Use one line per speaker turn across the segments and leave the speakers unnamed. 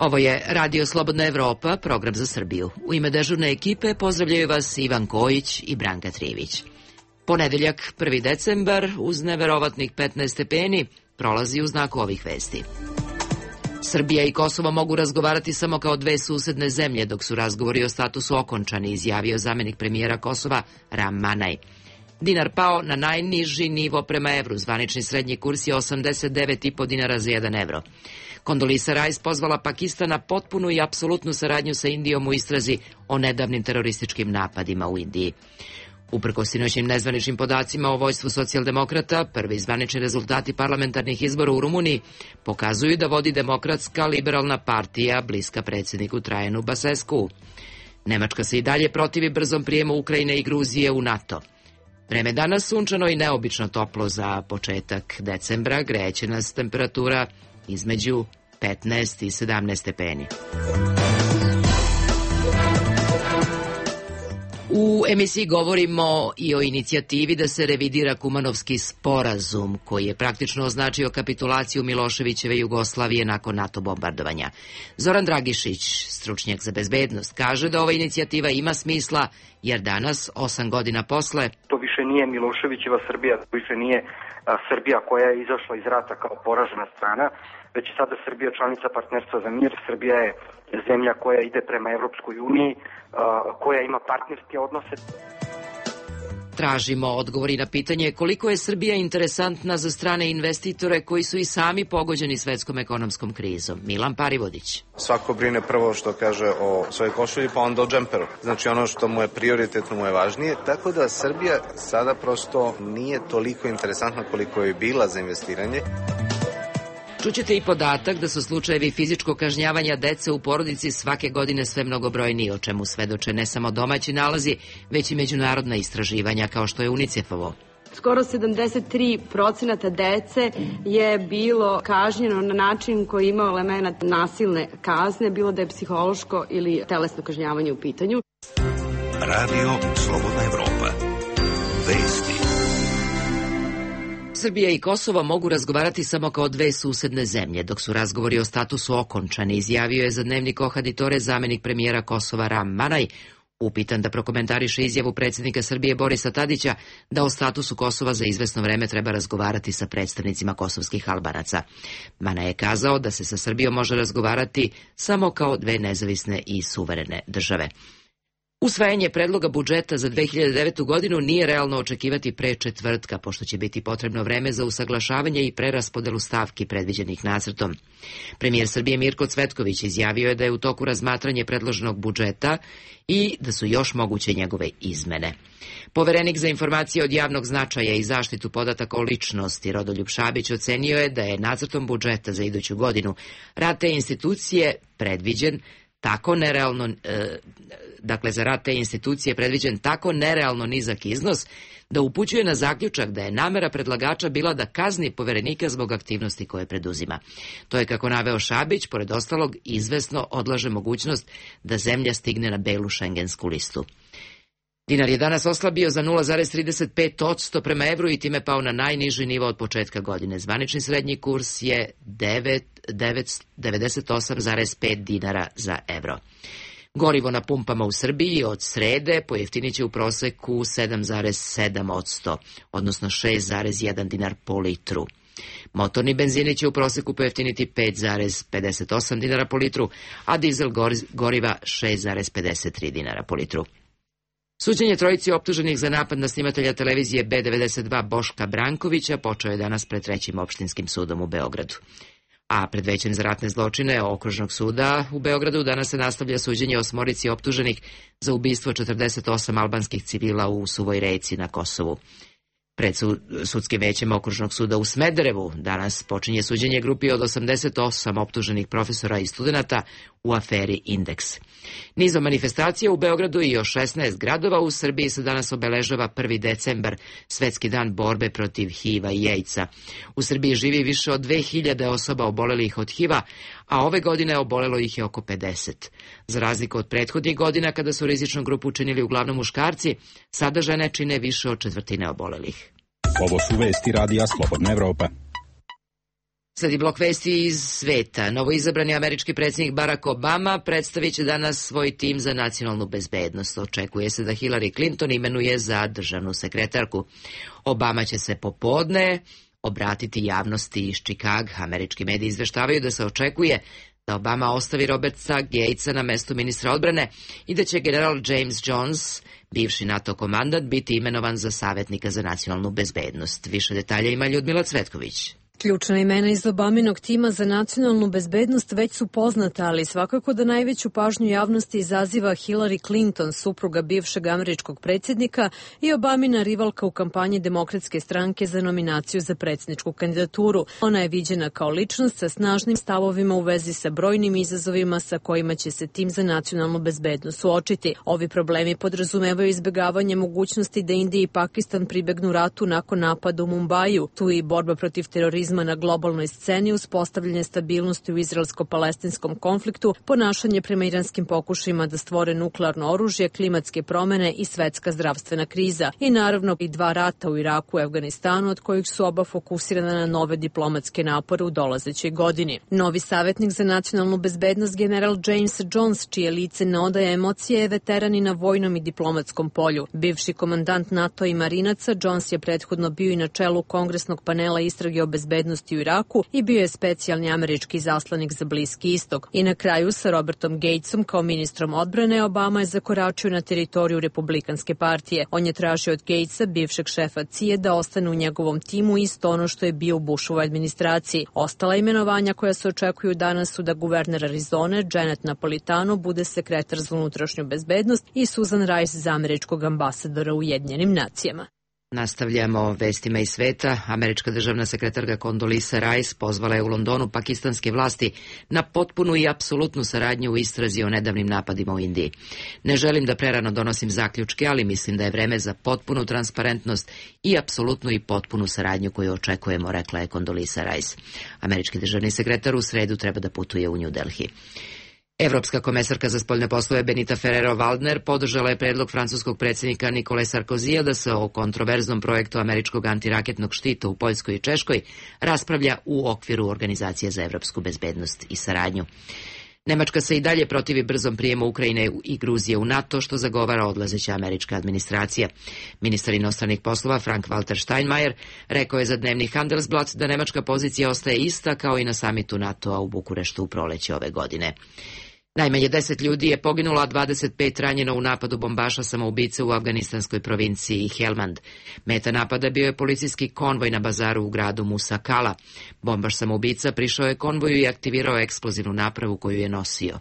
Ovo je Radio Slobodna Evropa, program za Srbiju. U ime dežurne ekipe pozdravljaju vas Ivan Kojić i Branka Trivić. Ponedeljak, 1. decembar, uz neverovatnih 15 stepeni, prolazi u znaku ovih vesti. Srbija i Kosovo mogu razgovarati samo kao dve susedne zemlje, dok su razgovori o statusu okončani, izjavio zamenik premijera Kosova Ram Manaj. Dinar pao na najniži nivo prema evru, zvanični srednji kurs je 89,5 dinara za 1 evro. Kondolisa Rice pozvala Pakistan na potpunu i apsolutnu saradnju sa Indijom u istrazi o nedavnim terorističkim napadima u Indiji. Uprkos sinoćnim nezvaničnim podacima o vojstvu socijaldemokrata, prvi zvanični rezultati parlamentarnih izbora u Rumuniji pokazuju da vodi demokratska liberalna partija bliska predsjedniku Trajanu Basescu. Nemačka se i dalje protivi brzom prijemu Ukrajine i Gruzije u NATO. Vreme danas sunčano i neobično toplo za početak decembra, greće nas temperatura između 15 i 17 stepeni. U emisiji govorimo i o inicijativi da se revidira Kumanovski sporazum, koji je praktično označio kapitulaciju Miloševićeve Jugoslavije nakon NATO bombardovanja. Zoran Dragišić, stručnjak za bezbednost, kaže da ova inicijativa ima smisla, jer danas, 8 godina posle,
to više nije Miloševićeva Srbija, to više nije Srbija koja je izašla iz rata kao poražena strana, već je sada Srbija članica Partnerstva za mir. Srbija je zemlja koja ide prema Evropskoj uniji, koja ima partnerske odnose.
Tražimo odgovori na pitanje koliko je Srbija interesantna za strane investitore koji su i sami pogođeni svetskom ekonomskom krizom. Milan Parivodić.
Svako brine prvo što kaže o svojoj košulji, pa onda o džemperu. Znači ono što mu je prioritetno, mu je važnije. Tako da Srbija sada prosto nije toliko interesantna koliko je bila za investiranje.
Čućete i podatak da su slučajevi fizičkog kažnjavanja dece u porodici svake godine sve mnogobrojniji, o čemu svedoče ne samo domaći nalazi, već i međunarodna istraživanja kao što je UNICEF-ovo.
Skoro 73% dece je bilo kažnjeno na način koji je imao elemenat nasilne kazne, bilo da je psihološko ili telesno kažnjavanje u pitanju.
Radio Slobodna Evropa. Vesti.
Srbija i Kosovo mogu razgovarati samo kao dve susedne zemlje, dok su razgovori o statusu okončani, izjavio je za dnevnik Ohaditore zamenik premijera Kosova Ram Manaj, upitan da prokomentariše izjavu predsjednika Srbije Borisa Tadića da o statusu Kosova za izvesno vreme treba razgovarati sa predstavnicima kosovskih Albanaca. Manaj je kazao da se sa Srbijom može razgovarati samo kao dve nezavisne i suverene države. Usvajanje predloga budžeta za 2009. godinu nije realno očekivati pre četvrtka, pošto će biti potrebno vreme za usaglašavanje i preraspodelu stavki predviđenih nacrtom. Premijer Srbije Mirko Cvetković izjavio je da je u toku razmatranje predloženog budžeta i da su još moguće njegove izmene. Poverenik za informacije od javnog značaja i zaštitu podataka o ličnosti Rodoljub Šabić ocenio je da je nacrtom budžeta za iduću godinu rad te institucije predviđen tako nerealno, za rad te institucije predviđen tako nerealno nizak iznos da upućuje na zaključak da je namera predlagača bila da kazni poverenika zbog aktivnosti koje preduzima. To je, kako naveo Šabić, pored ostalog izvesno odlaže mogućnost da zemlja stigne na belu šengensku listu. Dinar je danas oslabio za 0,35% prema evru i time pao na najniži nivo od početka godine. Zvanični srednji kurs je 98,5 dinara za evro. Gorivo na pumpama u Srbiji od srede pojeftinit će u proseku 7,7%, odnosno 6,1 dinar po litru. Motorni benzini će u proseku pojeftiniti 5,58 dinara po litru, a dizel goriva 6,53 dinara po litru. Suđenje trojici optuženih za napad na snimatelja televizije B92 Boška Brankovića počeo je danas pred Trećim opštinskim sudom u Beogradu. A pred Većem za ratne zločine Okružnog suda u Beogradu danas se nastavlja suđenje 8 optuženih za ubistvo 48 albanskih civila u Suvoj Reci na Kosovu. Pred sudskim većem Okružnog suda u Smederevu danas počinje suđenje grupi od 88 optuženih profesora i studenata u aferi Indeks. Nizom manifestacija u Beogradu i još 16 gradova u Srbiji se danas obeležava 1. decembar, Svetski dan borbe protiv HIV-a i AIDS-a. U Srbiji živi više od 2000 osoba obolelih od HIV-a, a ove godine obolelo ih je oko 50. Za razliku od prethodnih godina, kada su rizičnu grupu činili uglavnom muškarci, sada žene čine više od četvrtine obolelih.
Ovo su vesti Radija Slobodna Evropa.
Sledi blok vesti iz sveta. Novoizabrani američki predsjednik Barack Obama predstavit će danas svoj tim za nacionalnu bezbednost. Očekuje se da Hillary Clinton imenuje za državnu sekretarku. Obama će se popodne obratiti javnosti iz Čikaga. Američki mediji izveštavaju da se očekuje da Obama ostavi Roberta Gatesa na mestu ministra odbrane i da će general James Jones, bivši NATO komandant, biti imenovan za savjetnika za nacionalnu bezbednost. Više detalja ima Ljudmila Cvetković.
Ključna imena iz Obaminog tima za nacionalnu bezbednost već su poznata, ali svakako da najveću pažnju javnosti izaziva Hillary Clinton, supruga bivšeg američkog predsjednika i Obamina rivalka u kampanji Demokratske stranke za nominaciju za predsjedničku kandidaturu. Ona je viđena kao ličnost sa snažnim stavovima u vezi sa brojnim izazovima sa kojima će se tim za nacionalnu bezbednost suočiti. Ovi problemi podrazumevaju izbjegavanje mogućnosti da Indija i Pakistan pribegnu ratu nakon napada u Mumbaju. Tu i borba protiv terorizma na globalnoj sceni, uspostavljanje stabilnosti u izraelsko-palestinskom konfliktu, ponašanje prema iranskim pokušajima da stvore nuklearno oružje, klimatske promene i svetska zdravstvena kriza. I naravno i 2 rata u Iraku i Afganistanu, od kojih su oba fokusirana na nove diplomatske napore u dolazećoj godini. Novi savjetnik za nacionalnu bezbednost general James Jones, čije lice ne odaje emocije, je veteran i na vojnom i diplomatskom polju. Bivši komandant NATO i marinaca, Jones je prethodno bio i na čelu kongresnog panela istrage o bezbednosti u Iraku i bio je specijalni američki zaslanik za Bliski istok. I na kraju sa Robertom Gatesom kao ministrom odbrane Obama je zakoračio na teritoriju Republikanske partije. On je tražio od Gatesa, bivšeg šefa CIA, da ostane u njegovom timu, isto ono što je bio u Bushovoj administraciji. Ostala imenovanja koja se očekuju danas su da guverner Arizone Janet Napolitano bude sekretar za unutrašnju bezbednost i Susan Rice za američkog ambasadora u Ujedinjenim nacijama.
Nastavljamo vestima iz sveta. Američka državna sekretarka Condoleezza Rice pozvala je u Londonu pakistanske vlasti na potpunu i apsolutnu saradnju u istrazi o nedavnim napadima u Indiji. Ne želim da prerano donosim zaključke, ali mislim da je vreme za potpunu transparentnost i apsolutnu i potpunu saradnju koju očekujemo, rekla je Condoleezza Rice. Američki državni sekretar u sredu treba da putuje u New Delhi. Evropska komesarka za spoljne poslove Benita Ferrero-Waldner podržala je predlog francuskog predsjednika Nikole Sarkozija da se o kontroverznom projektu američkog antiraketnog štita u Poljskoj i Češkoj raspravlja u okviru Organizacije za evropsku bezbednost i saradnju. Nemačka se i dalje protivi brzom prijemu Ukrajine i Gruzije u NATO, što zagovara odlazeća američka administracija. Ministar inostranih poslova Frank-Walter Steinmeier rekao je za dnevni Handelsblatt da nemačka pozicija ostaje ista kao i na samitu NATO-a u Bukureštu u proleće ove godine. Najmanje 10 ljudi je poginulo, a 25 ranjeno u napadu bombaša samoubice u afganistanskoj provinciji Helmand. Meta napada bio je policijski konvoj na bazaru u gradu Musa Kala. Bombaš samoubica prišao je konvoju i aktivirao eksplozivnu napravu koju je nosio.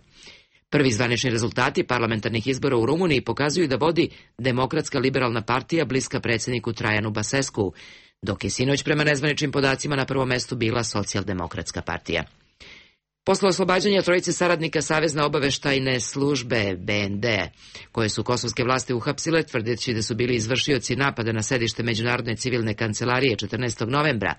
Prvi zvanični rezultati parlamentarnih izbora u Rumuniji pokazuju da vodi Demokratska liberalna partija bliska predsjedniku Trajanu Basescu, dok je sinoć prema nezvaničnim podacima na prvom mestu bila Socijaldemokratska partija. Posle oslobađanja trojice saradnika Savezne obaveštajne službe BND, koje su kosovske vlasti uhapsile, tvrdeći da su bili izvršioci napada na sedište Međunarodne civilne kancelarije 14. novembra,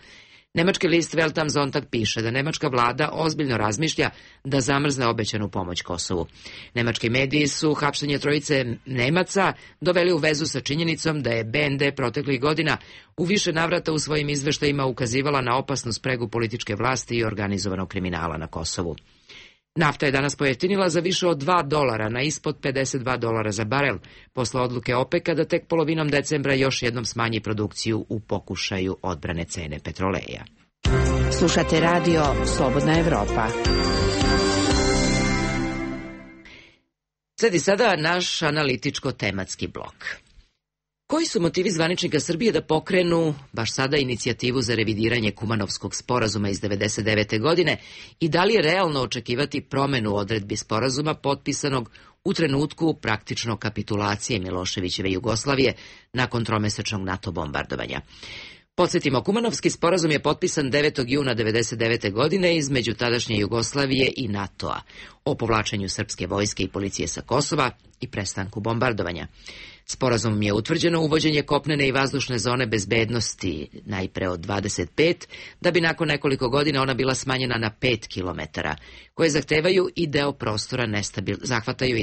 nemački list Welt am Sonntag piše da nemačka vlada ozbiljno razmišlja da zamrzne obećanu pomoć Kosovu. Nemački mediji su hapšenje trojice Nemaca doveli u vezu sa činjenicom da je BND proteklih godina u više navrata u svojim izveštajima ukazivala na opasnu spregu političke vlasti i organizovanog kriminala na Kosovu. Nafta je danas pojeftinila za više od $2 na ispod $52 za barel, posle odluke OPEC-a da tek polovinom decembra još jednom smanji produkciju u pokušaju odbrane cene petroleja.
Slušate radio Slobodna Evropa.
Sledi sada naš analitičko-tematski blok. Koji su motivi zvaničnika Srbije da pokrenu baš sada inicijativu za revidiranje Kumanovskog sporazuma iz 1999. godine i da li je realno očekivati promenu odredbi sporazuma potpisanog u trenutku praktično kapitulacije Miloševićeve Jugoslavije nakon tromesečnog NATO bombardovanja? Podsjetimo, Kumanovski sporazum je potpisan 9. juna 1999. godine između tadašnje Jugoslavije i NATO-a o povlačenju srpske vojske i policije sa Kosova i prestanku bombardovanja. Sporazumom je utvrđeno uvođenje kopnene i vazdušne zone bezbednosti najpre od 25, da bi nakon nekoliko godina ona bila smanjena na 5 kilometara, koje zahvataju i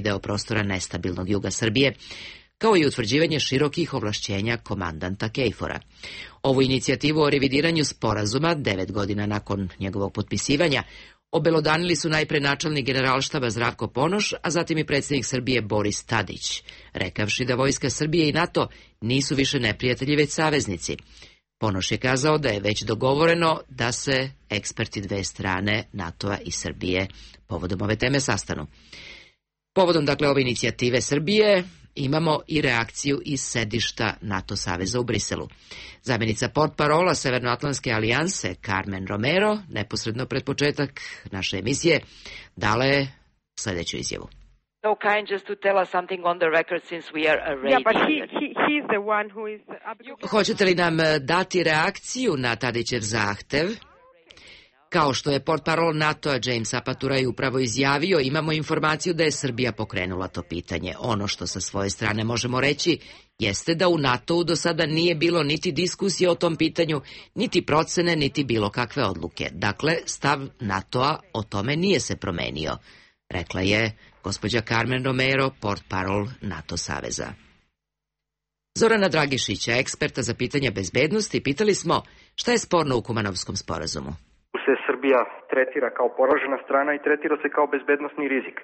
deo prostora nestabilnog juga Srbije, kao i utvrđivanje širokih ovlašćenja komandanta KFOR-a. Ovu inicijativu o revidiranju sporazuma, 9 godina nakon njegovog potpisivanja, obelodanili su najpre načelnik Generalštaba Zdravko Ponoš, a zatim i predsjednik Srbije Boris Tadić, rekavši da vojska Srbije i NATO nisu više neprijatelji, već saveznici. Ponoš je kazao da je već dogovoreno da se eksperti dve strane, NATO-a i Srbije, povodom ove teme sastanu. Povodom, dakle, ove inicijative Srbije imamo i reakciju iz sedišta NATO saveza u Briselu. Zamjenica portparola Severnoatlantske alijanse Carmen Romero, neposredno pred početak naše emisije, dala je sljedeću izjavu.
So kind just to tell us something on the record since we are a radio.
Yeah, but he's the one who is...
Hoćete li nam dati reakciju na Tadićev zahtev? Kao što je portparol NATO-a James Apaturaj upravo izjavio, imamo informaciju da je Srbija pokrenula to pitanje. Ono što sa svoje strane možemo reći jeste da u NATO-u do sada nije bilo niti diskusije o tom pitanju, niti procene, niti bilo kakve odluke. Dakle, stav NATO-a o tome nije se promenio, rekla je gospođa Carmen Romero, portparol NATO saveza. Zorana Dragišića, eksperta za pitanja bezbednosti, pitali smo šta je sporno u Kumanovskom sporazumu.
Se Srbija tretira kao poražena strana i tretira se kao bezbednosni rizik.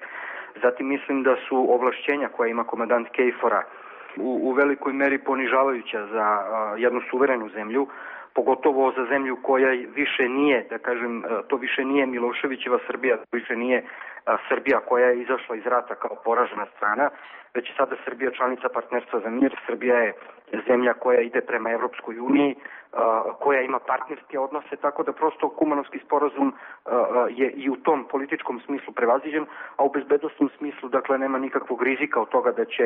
Zatim mislim da su ovlašćenja koja ima komandant KFOR-a u velikoj meri ponižavajuća za jednu suverenu zemlju, pogotovo za zemlju koja više nije, da kažem, to više nije Miloševićeva Srbija, to više nije Srbija koja je izašla iz rata kao poražena strana, već je sada Srbija članica partnerstva za mir. Srbija je zemlja koja ide prema Evropskoj uniji, koja ima partnerske odnose, tako da prosto Kumanovski sporazum je i u tom političkom smislu prevaziđen, a u bezbednosnom smislu, dakle, nema nikakvog rizika od toga da će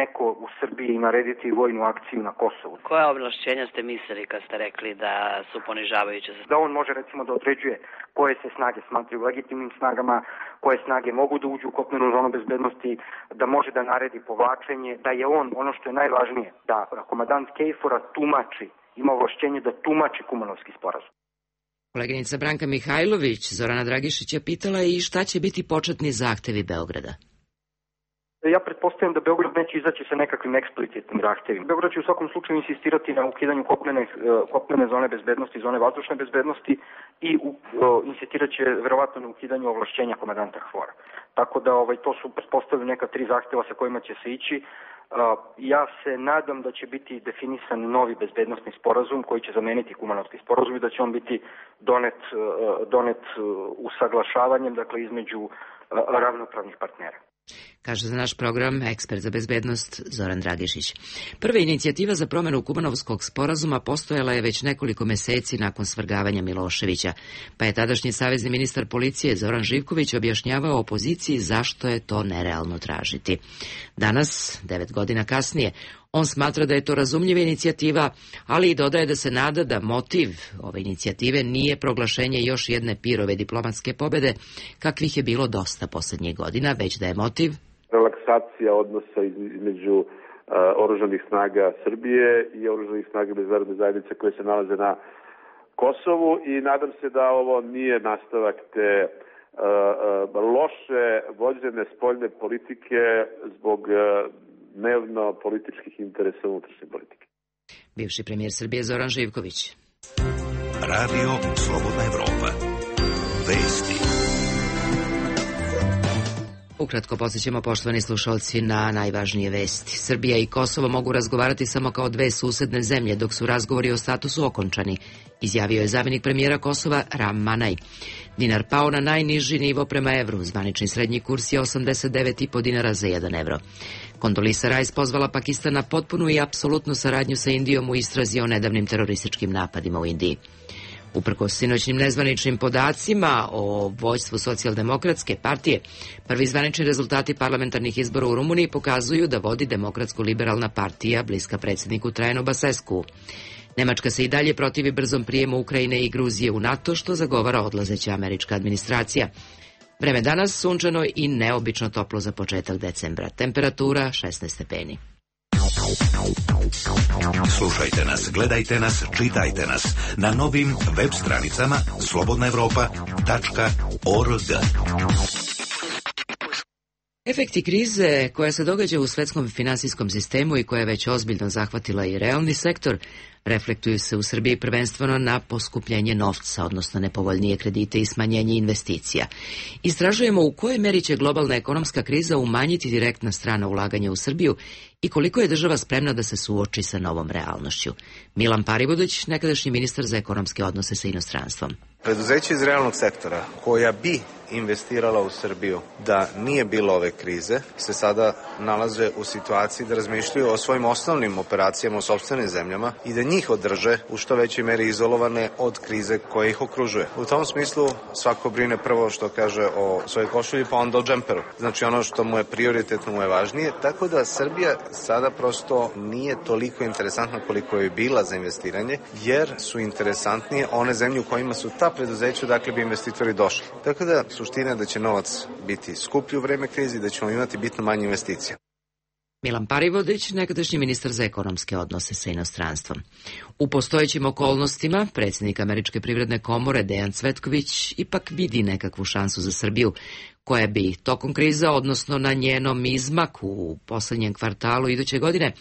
neko u Srbiji narediti vojnu akciju na Kosovu.
Koja ovlašćenja ste mislili kad ste rekli da su ponižavajuće?
Da on može, recimo, da određuje koje se snage smatraju legitimnim snagama, koje snage mogu da uđu u kopnenu zonu bezbednosti, da može da naredi povlačenje, da je on, ono što je najvažnije, da komandant KFOR-a tumači, ima ovlašćenje da tumači Kumanovski sporazum.
Koleginica Branka Mihajlović, Zorana Dragišića, pitala i šta će biti početni zahtevi Beograda.
Ja pretpostavljam da Beograd neće izaći sa nekakvim eksplicitnim zahtevima. Beograd će u svakom slučaju insistirati na ukidanju kopnene zone bezbednosti, zone vazdušne bezbednosti i insistirat će verovatno na ukidanju ovlašćenja komandanta KFOR-a. Tako da to su pretpostavljaju neka 3 zahteva sa kojima će se ići. Ja se nadam da će biti definisan novi bezbednosni sporazum koji će zameniti Kumanovski sporazum i da će on biti donet usaglašavanjem, dakle, između ravnopravnih partnera.
Kaže za naš program ekspert za bezbednost Zoran Dragišić. Prva inicijativa za promjenu Kumanovskog sporazuma postojala je već nekoliko meseci nakon svrgavanja Miloševića, pa je tadašnji savezni ministar policije Zoran Živković objašnjavao opoziciji zašto je to nerealno tražiti. Danas, 9 godina kasnije, on smatra da je to razumljiva inicijativa, ali i dodaje da se nada da motiv ove inicijative nije proglašenje još jedne pirove diplomatske pobjede, kakvih je bilo dosta posljednjih godina, već da je motiv
relaksacija odnosa između oružanih snaga Srbije i oružanih snaga međunarodne zajednice koje se nalaze na Kosovu, i nadam se da ovo nije nastavak te loše vođene spoljne politike zbog dnevno političkih interesa unutrašnje politike.
Bivši premijer Srbije Zoran Živković.
Radio Slobodna Evropa. Vesti.
Ukratko podsjećamo, poštovani slušalci, na najvažnije vesti. Srbija i Kosovo mogu razgovarati samo kao dve susedne zemlje, dok su razgovori o statusu okončani, izjavio je zamjenik premijera Kosova Ram Manaj. Dinar pao na najniži nivo prema evru, zvanični srednji kurs je 89,5 dinara za 1 evro. Kondolisa Rice pozvala Pakistan na potpunu i apsolutnu saradnju sa Indijom u istrazi o nedavnim terorističkim napadima u Indiji. Uprkos sinoćnim nezvaničnim podacima o vođstvu Socijaldemokratske partije, prvi zvanični rezultati parlamentarnih izbora u Rumuniji pokazuju da vodi Demokratsko-liberalna partija bliska predsjedniku Trajanu Basescu. Nemačka se i dalje protivi brzom prijemu Ukrajine i Gruzije u NATO, što zagovara odlazeća američka administracija. Vreme danas sunčano i neobično toplo za početak decembra. Temperatura 16 stepeni.
Slušajte nas, gledajte nas, čitajte nas na novim web stranicama slobodnaevropa.org.
Efekti krize koja se događa u svetskom finansijskom sistemu i koja je već ozbiljno zahvatila i realni sektor, reflektuju se u Srbiji prvenstveno na poskupljenje novca, odnosno nepovoljnije kredite i smanjenje investicija. Istražujemo u kojoj meri će globalna ekonomska kriza umanjiti direktna strana ulaganja u Srbiju i koliko je država spremna da se suoči sa novom realnošću. Milan Parivodić, nekadašnji ministar za ekonomske odnose sa inostranstvom.
Preduzeće iz realnog sektora koja bi investirala u Srbiju da nije bilo ove krize, se sada nalaze u situaciji da razmišljaju o svojim osnovnim operacijama u sopstvenim zemljama i da njih održe u što većoj meri izolovane od krize koja ih okružuje. U tom smislu svako brine prvo što kaže o svojoj košulji, pa onda o džemperu. Znači ono što mu je prioritetno, mu je važnije, tako da Srbija sada prosto nije toliko interesantna koliko je bila za investiranje, jer su interesantnije one zemlje u kojima su ta preduzeća, dakle bi investitori došli. Tako da suština je da će novac biti skuplji u vreme krize i da ćemo imati bitno manje investicija.
Milan Parivodić, nekadašnji ministar za ekonomske odnose sa inostranstvom. U postojećim okolnostima predsjednik Američke privredne komore Dejan Cvetković ipak vidi nekakvu šansu za Srbiju, koja bi tokom kriza, odnosno na njenom izmaku u poslednjem kvartalu iduće godine,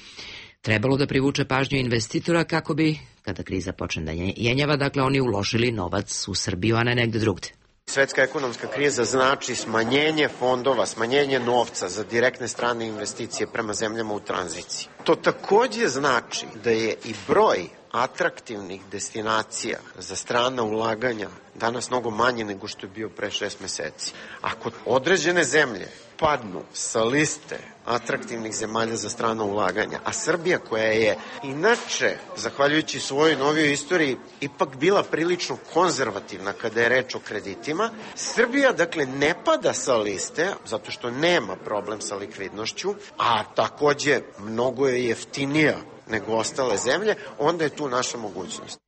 trebalo da privuče pažnju investitora kako bi, kada kriza počne da jenjava, dakle oni uložili novac u Srbiju, a ne negde drugde.
Svetska ekonomska kriza znači smanjenje fondova, smanjenje novca za direktne strane investicije prema zemljama u tranziciji. To takođe znači da je i broj atraktivnih destinacija za strana ulaganja danas mnogo manje nego što je bio pre 6 meseci. Ako određene zemlje padnu sa liste atraktivnih zemalja za strana ulaganja, a Srbija koja je inače, zahvaljujući svojoj novijoj istoriji, ipak bila prilično konzervativna kada je reč o kreditima, Srbija dakle ne pada sa liste zato što nema problem sa likvidnošću, a takođe mnogo je jeftinija nego ostale zemlje, onda je tu naša mogućnost.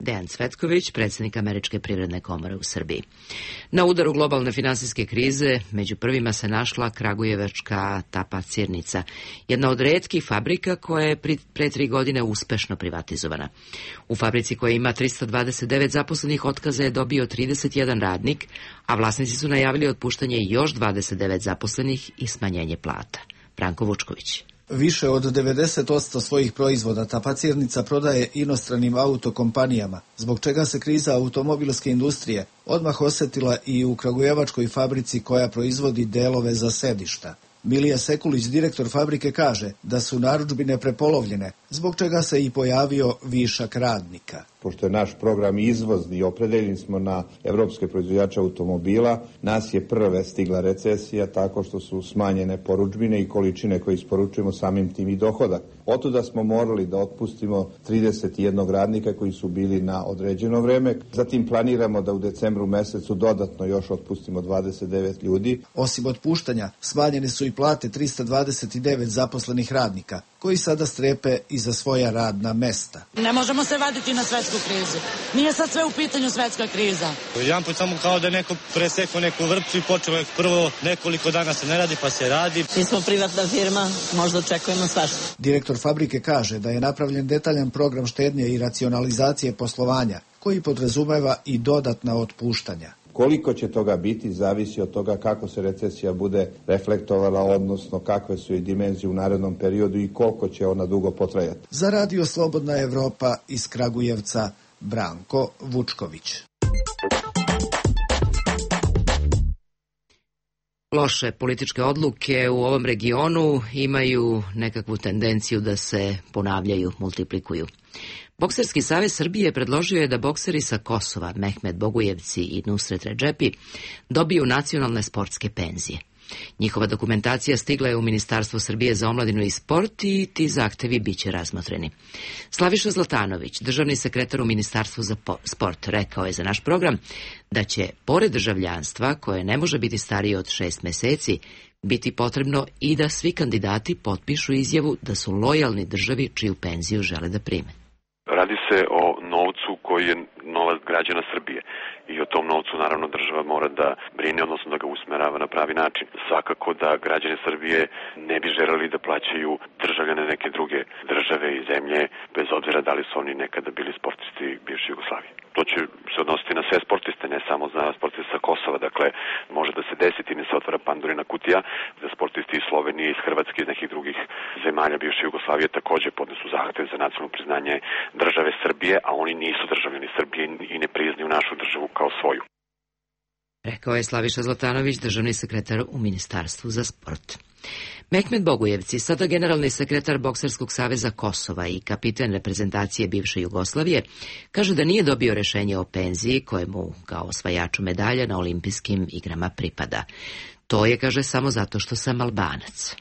Dejan Cvetković, predsjednik Američke privredne komore u Srbiji. Na udaru globalne finansijske krize među prvima se našla kragujevačka tapacirnica, jedna od retkih fabrika koja je pre 3 godine uspešno privatizovana. U fabrici koja ima 329 zaposlenih otkaza je dobio 31 radnik, a vlasnici su najavili otpuštanje još 29 zaposlenih i smanjenje plata. Branko Vučković.
Više od 90% svojih proizvoda tapacirnica prodaje inostranim autokompanijama, zbog čega se kriza automobilske industrije odmah osetila i u kragujevačkoj fabrici koja proizvodi delove za sedišta. Milija Sekulić, direktor fabrike, kaže da su narudžbine prepolovljene, zbog čega se i pojavio višak radnika.
Pošto je naš program izvozni i opredeljeni smo na evropske proizvođače automobila, nas je prve stigla recesija tako što su smanjene porudžbine i količine koje isporučujemo, samim tim i dohodak. Otuda smo morali da otpustimo 31 radnika koji su bili na određeno vreme. Zatim planiramo da u decembru mesecu dodatno još otpustimo 29 ljudi.
Osim otpuštanja, smanjene su i plate 329 zaposlenih radnika, koji sada strepe i za svoja radna mesta.
Ne možemo se vaditi na svetsku krizu. Nije sad sve u pitanju svetska kriza.
Jedan put samo kao da neko presekao neku vrpcu i počelo je prvo nekoliko dana se ne radi pa se radi.
Mi smo privatna firma, možda očekujemo svašta.
Direktor fabrike kaže da je napravljen detaljan program štednje i racionalizacije poslovanja, koji podrazumeva i dodatna otpuštanja.
Koliko će toga biti, zavisi od toga kako se recesija bude reflektovala, odnosno kakve su i dimenzije u narednom periodu i koliko će ona dugo potrajati.
Za Radio Slobodna Evropa iz Kragujevca, Branko Vučković.
Loše političke odluke u ovom regionu imaju nekakvu tendenciju da se ponavljaju, multiplikuju. Bokserski savez Srbije predložio je da bokseri sa Kosova, Mehmet Bogujevci i Nusret Redžepi, dobiju nacionalne sportske penzije. Njihova dokumentacija stigla je u Ministarstvo Srbije za omladinu i sport i ti zahtevi biće razmotreni. Slaviša Zlatanović, državni sekretar u Ministarstvu za sport, rekao je za naš program da će, pored državljanstva, koje ne može biti starije od 6 meseci, biti potrebno i da svi kandidati potpišu izjavu da su lojalni državi čiju penziju žele da prime.
Radi se o novcu koji je novac novac građana Srbije. I o tom novcu naravno država mora da brine, odnosno da ga usmerava na pravi način. Svakako da građani Srbije ne bi želeli da plaćaju državljane neke druge države i zemlje, bez obzira da li su oni nekada bili sportisti bivše Jugoslavije. To će se odnositi na sve sportiste, ne samo na sportiste sa Kosova. Dakle, može da se desi, time se otvara Pandorina kutija, da sportisti iz Slovenije, iz Hrvatske, iz nekih drugih zemalja bivše Jugoslavije takođe podnesu zahtev za nacionalno priznanje države Srbije, a oni nisu državljani Srbije i ne priznaju našu državu kao svoju.
Rekao je Slaviša Zlatanović, državni sekretar u Ministarstvu za sport. Mehmet Bogujevci, sada generalni sekretar Bokserskog saveza Kosova i kapiten reprezentacije bivše Jugoslavije, kaže da nije dobio rešenje o penziji koje mu kao osvajaču medalja na olimpijskim igrama pripada. To je, kaže, samo zato što sam Albanac.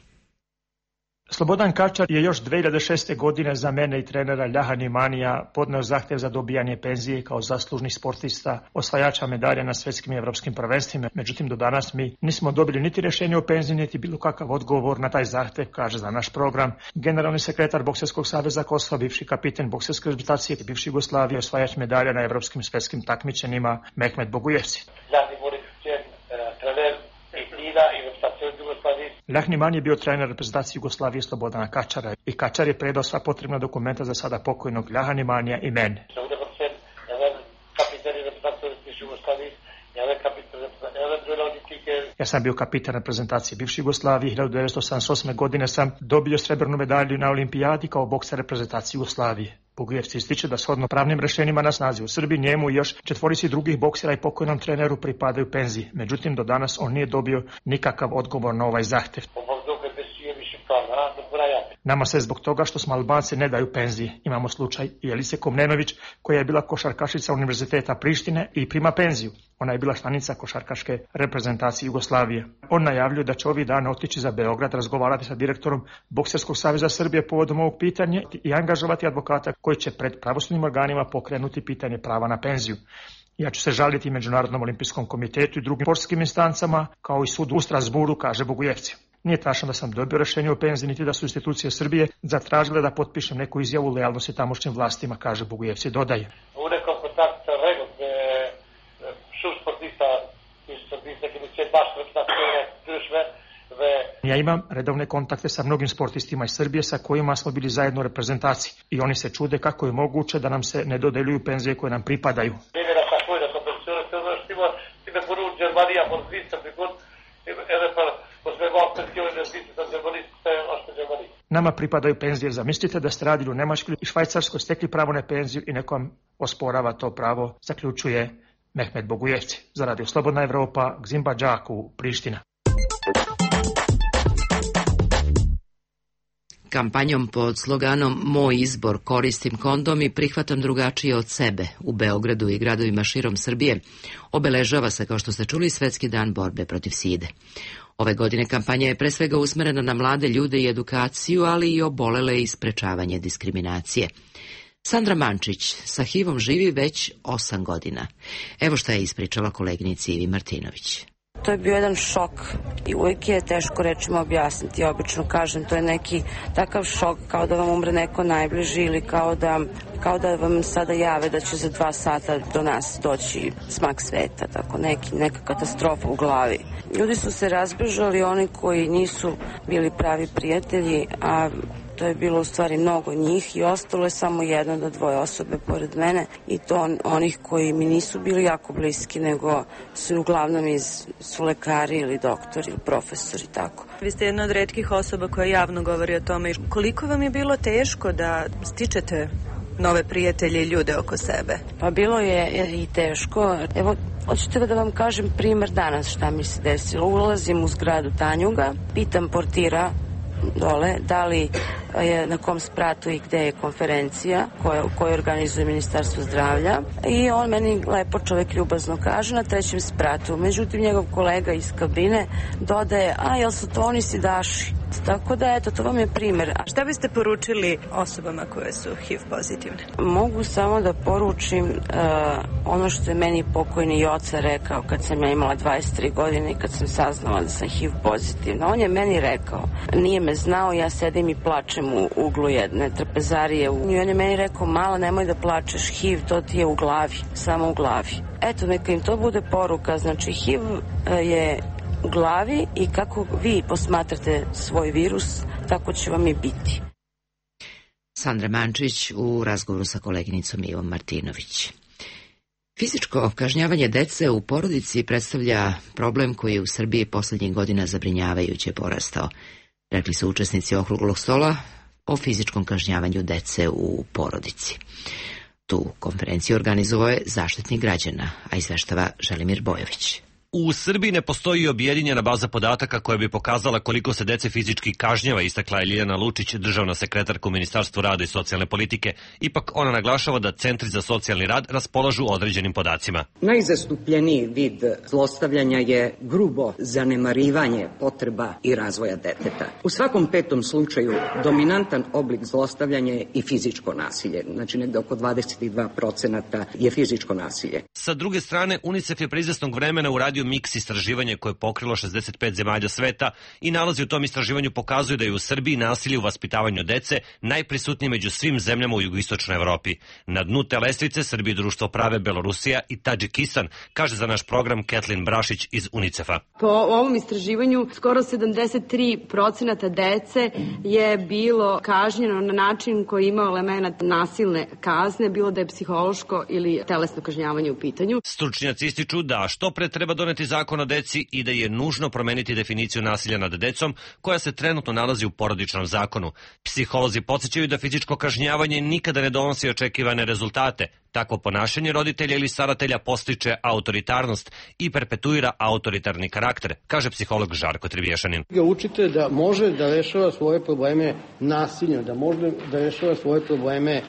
Slobodan Kačar je još 2006. godine za mene i trenera Ljahan Imanija podneo zahtev za dobijanje penzije kao zaslužni sportista, osvajača medalja na svetskim i evropskim prvenstvima. Međutim, do danas mi nismo dobili niti rešenje o penziji, niti bilo kakav odgovor na taj zahtev, kaže za naš program generalni sekretar Bokserskog saveza Kosova, bivši kapiten bokserske reprezentacije bivše Jugoslavije, osvajač medalja na evropskim svetskim takmičenjima Mehmet Bogujevci. Ljahan je bio trener reprezentacije Jugoslavije Slobodana Kačara i Kačar je predao sva potrebna dokumenta za sada pokojnog Ljahan Imanija i mene. Ja sam bio kapitan reprezentacije bivše Jugoslavije. 1978. godine sam dobio srebrnu medalju na olimpijadi kao bokser reprezentacije Jugoslavije. Bogujevci ističe da shodno pravnim rešenjima na snazi u Srbiji njemu i još 4 drugih boksera i pokojnom treneru pripadaju penziji. Međutim, do danas on nije dobio nikakav odgovor na ovaj zahtev. Nama se zbog toga što smo Albanci ne daju penzije. Imamo slučaj Jelice Komnenović, koja je bila košarkašica Univerziteta Prištine i prima penziju. Ona je bila članica košarkaške reprezentacije Jugoslavije. On najavljuje da će ovih dana otići za Beograd, razgovarati sa direktorom Bokserskog saveza Srbije povodom ovog pitanja i angažovati advokata koji će pred pravosudnim organima pokrenuti pitanje prava na penziju. Ja ću se žaliti Međunarodnom olimpijskom komitetu i drugim sportskim instancama, kao i sudu u Strasburu, kaže Bogujevci. Nije tačno da sam dobio rešenje o penziji, niti da su institucije Srbije zatražile da potpišem neku izjavu lojalnosti tamošnjim vlastima, kaže Bogujevci, dodaje. Ja imam redovne kontakte sa mnogim sportistima iz Srbije sa kojima smo bili zajedno u reprezentaciji i oni se čude kako je moguće da nam se ne dodeljuju penzije koje nam pripadaju. Nama pripadaju penzije. Zamislite da ste radili u Nemačkoj i Švajcarskoj, stekli pravo na penziju i neko vam osporava to pravo, zaključuje Mehmet Bogujevci. Za Radio Slobodna Evropa, Gzimba Đaku, Priština.
Kampanjom pod sloganom Moj izbor, koristim kondom i prihvatam drugačije od sebe u Beogradu i gradovima širom Srbije obeležava se, kao što ste čuli, Svetski dan borbe protiv side. Ove godine kampanja je pre svega usmerena na mlade ljude i edukaciju, ali i obolele i sprečavanje diskriminacije. Sandra Mančić sa HIV-om živi već 8 godina. Evo šta je ispričala koleginici Ivi Martinović.
To je bio jedan šok i uvijek je teško rečima objasniti. Ja obično kažem, to je neki takav šok kao da vam umre neko najbliži ili kao da vam sada jave da će za 2 sata do nas doći smak sveta, tako neka katastrofa u glavi. Ljudi su se razbežali, oni koji nisu bili pravi prijatelji, a to je bilo u stvari mnogo njih i ostalo je samo 1 do 2 osobe pored mene i to onih koji mi nisu bili jako bliski, nego su uglavnom su lekari ili doktori ili profesori, tako.
Vi ste jedna od retkih osoba koja javno govori o tome. Koliko vam je bilo teško da stičete nove prijatelje i ljude oko sebe?
Pa bilo je i teško. Evo, hoćete da vam kažem primer danas šta mi se desilo. Ulazim u zgradu Tanjuga, pitam portira dole, da li je na kom spratu i gde je konferencija koju organizuje Ministarstvo zdravlja i on meni lepo čovek ljubazno kaže na 3. spratu. Međutim, njegov kolega iz kabine dodaje, jel su to oni sidaši? Tako da, eto, to vam je primer.
A šta biste poručili osobama koje su HIV pozitivne?
Mogu samo da poručim ono što je meni pokojni Joca rekao kad sam ja imala 23 godine i kad sam saznala da sam HIV pozitivna. On je meni rekao, nije me znao, ja sedim i plačem u uglu jedne trpezarije. I on je meni rekao, mala, nemoj da plačeš, HIV, to ti je u glavi, samo u glavi. Eto, neka im to bude poruka, znači HIV je u glavi i kako vi posmatrate svoj virus, tako će vam i biti.
Sandra Mančić u razgovoru sa koleginicom Ivom Martinović. Fizičko kažnjavanje dece u porodici predstavlja problem koji je u Srbiji poslednjih godina zabrinjavajuće porastao, rekli su učesnici okruglog stola o fizičkom kažnjavanju dece u porodici. Tu konferenciju organizovao je Zaštitnik građana, a izveštava Želimir Bojović.
U Srbiji ne postoji objedinjena baza podataka koja bi pokazala koliko se dece fizički kažnjava, istakla je Ljiljana Lučić, državna sekretarka u Ministarstvu rada i socijalne politike. Ipak ona naglašava da centri za socijalni rad raspolažu određenim podacima.
Najzastupljeniji vid zlostavljanja je grubo zanemarivanje potreba i razvoja deteta. U svakom petom slučaju dominantan oblik zlostavljanja je i fizičko nasilje. Znači negde oko 22% je fizičko nasilje.
Sa druge strane, UNICEF je pre izvesnog vremena uradio miks istraživanje koje je pokrilo 65 zemalja sveta i nalazi u tom istraživanju pokazuju da je u Srbiji nasilje u vaspitavanju dece najprisutnije među svim zemljama u jugoistočnoj Evropi. Na dnu te lestvice Srbiji društvo prave Belorusija i Tadžikistan, kaže za naš program Ketlin Brašić iz UNICEF-a.
Po ovom istraživanju skoro 73% dece je bilo kažnjeno na način koji ima elemenat nasilne kazne, bilo da je psihološko ili telesno kažnjavanje u pitanju.
Stručnjaci ističu da što pre treba doneti zakon o deci i da je nužno promeniti definiciju nasilja nad decom koja se trenutno nalazi u porodičnom zakonu. Psiholozi podsjećaju da fizičko kažnjavanje nikada ne donosi očekivane rezultate. Takvo ponašanje roditelja ili staratelja postiče autoritarnost i perpetuira autoritarni karakter, kaže psiholog Žarko Trivješanin.
Učite da može da rešava svoje probleme nasiljem, da može da rešava svoje probleme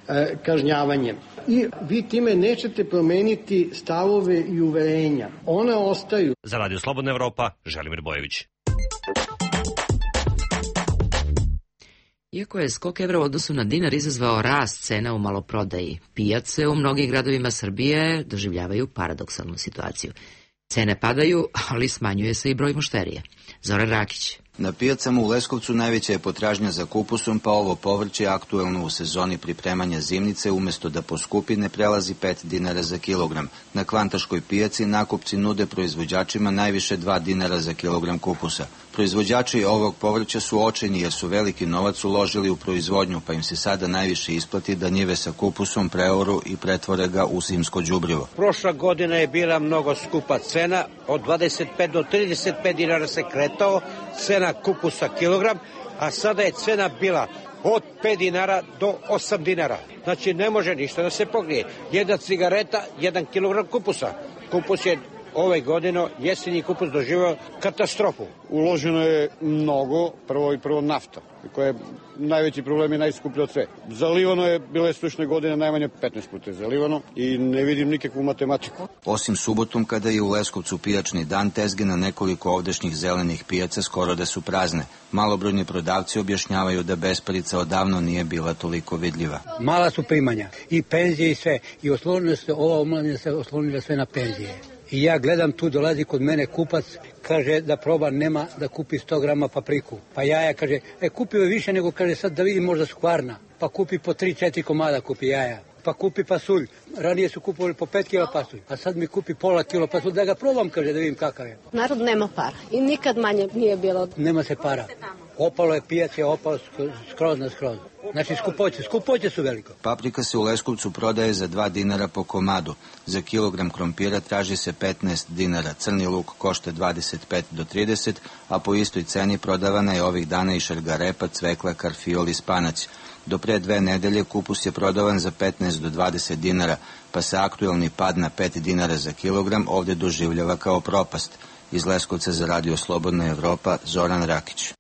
kažnjavanjem. I vi time nećete promeniti stavove i uverenja. One ostaju.
Za Radio Slobodna Evropa, Želimir Bojević.
Iako je skok evra u odnosu na dinar izazvao rast cena u maloprodaji, pijace u mnogim gradovima Srbije doživljavaju paradoksalnu situaciju. Cene padaju, ali smanjuje se i broj mušterija. Zoran Rakić.
Na pijacama u Leskovcu najveća je potražnja za kupusom, pa ovo povrće aktuelno u sezoni pripremanja zimnice umesto da poskupi ne prelazi 5 dinara za kilogram. Na Kvantaškoj pijaci nakupci nude proizvođačima najviše 2 dinara za kilogram kupusa. Proizvođači ovog povrća su očajni jer su veliki novac uložili u proizvodnju, pa im se sada najviše isplati da njive sa kupusom preoru i pretvore ga u zimsko đubrivo.
Prošla godina je bila mnogo skupa cena, od 25 do 35 dinara se kretao cena kupusa kilogram, a sada je cena bila od 5 dinara do 8 dinara. Znači ne može ništa da se pokrije. Jedna cigareta, 1 kilogram kupusa. Kupus je ove godine, jesenji kupus doživao katastrofu.
Uloženo je mnogo, prvo nafta, koja je najveći problem i najskuplji od sve. Zalivano je, bile slušne godine najmanje 15 puta zalivano i ne vidim nikakvu matematiku.
Osim subotom, kada je u Leskovcu pijačni dan, tezge na nekoliko ovdešnjih zelenih pijaca skoro da su prazne. Malobrojni prodavci objašnjavaju da besparica odavno nije bila toliko vidljiva.
Mala su primanja, i penzije i sve, i ova omladina se oslonila sve na penzije. I ja gledam, tu dolazi kod mene kupac, kaže da proba, nema da kupi 100 grama papriku. Pa jaja, kaže, kupio je više nego, kaže, sad da vidim možda su kvarna. Pa kupi po 3-4 komada, kupi jaja. Pa kupi pasulj. Ranije su kupovali po 5 kila pasulj, a sad mi kupi pola kilo pasulj, da ga probam, kaže, da vidim kakav je.
Narod nema para i nikad manje nije bilo.
Nema se para. Opalo je pijac, je opalo skroz na skroz. Znači skupoće su veliko.
Paprika se u Leskovcu prodaje za 2 dinara po komadu. Za kilogram krompira traži se 15 dinara. Crni luk košta 25 do 30, a po istoj ceni prodavana je ovih dana i šargarepa, cvekla, karfiol i spanać. Do pre 2 nedelje kupus je prodavan za 15 do 20 dinara, pa se aktuelni pad na 5 dinara za kilogram ovde doživljava kao propast. Iz Leskovca za Radio Slobodna Evropa, Zoran Rakić.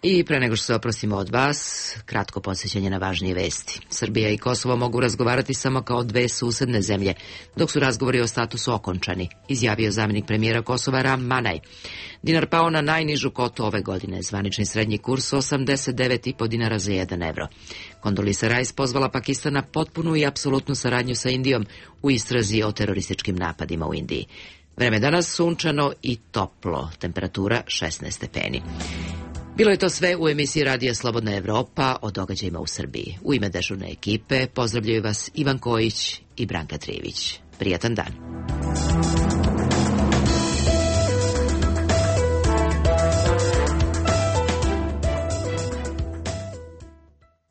I pre nego što se oprostimo od vas, kratko podsjećanje na važnije vesti. Srbija i Kosovo mogu razgovarati samo kao dve susedne zemlje, dok su razgovori o statusu okončani, izjavio zamenik premijera Kosova Ram Manaj. Dinar pao na najnižu kotu ove godine, zvanični srednji kurs 89,5 dinara za 1 evro. Kondolisa Rice pozvala Pakistan na potpunu i apsolutnu saradnju sa Indijom u istrazi o terorističkim napadima u Indiji. Vreme danas sunčano i toplo, temperatura 16 stepeni. Bilo je to sve u emisiji Radija Slobodna Evropa o događajima u Srbiji. U ime dežurne ekipe pozdravljaju vas Ivan Kojić i Branka Trivić. Prijatan dan.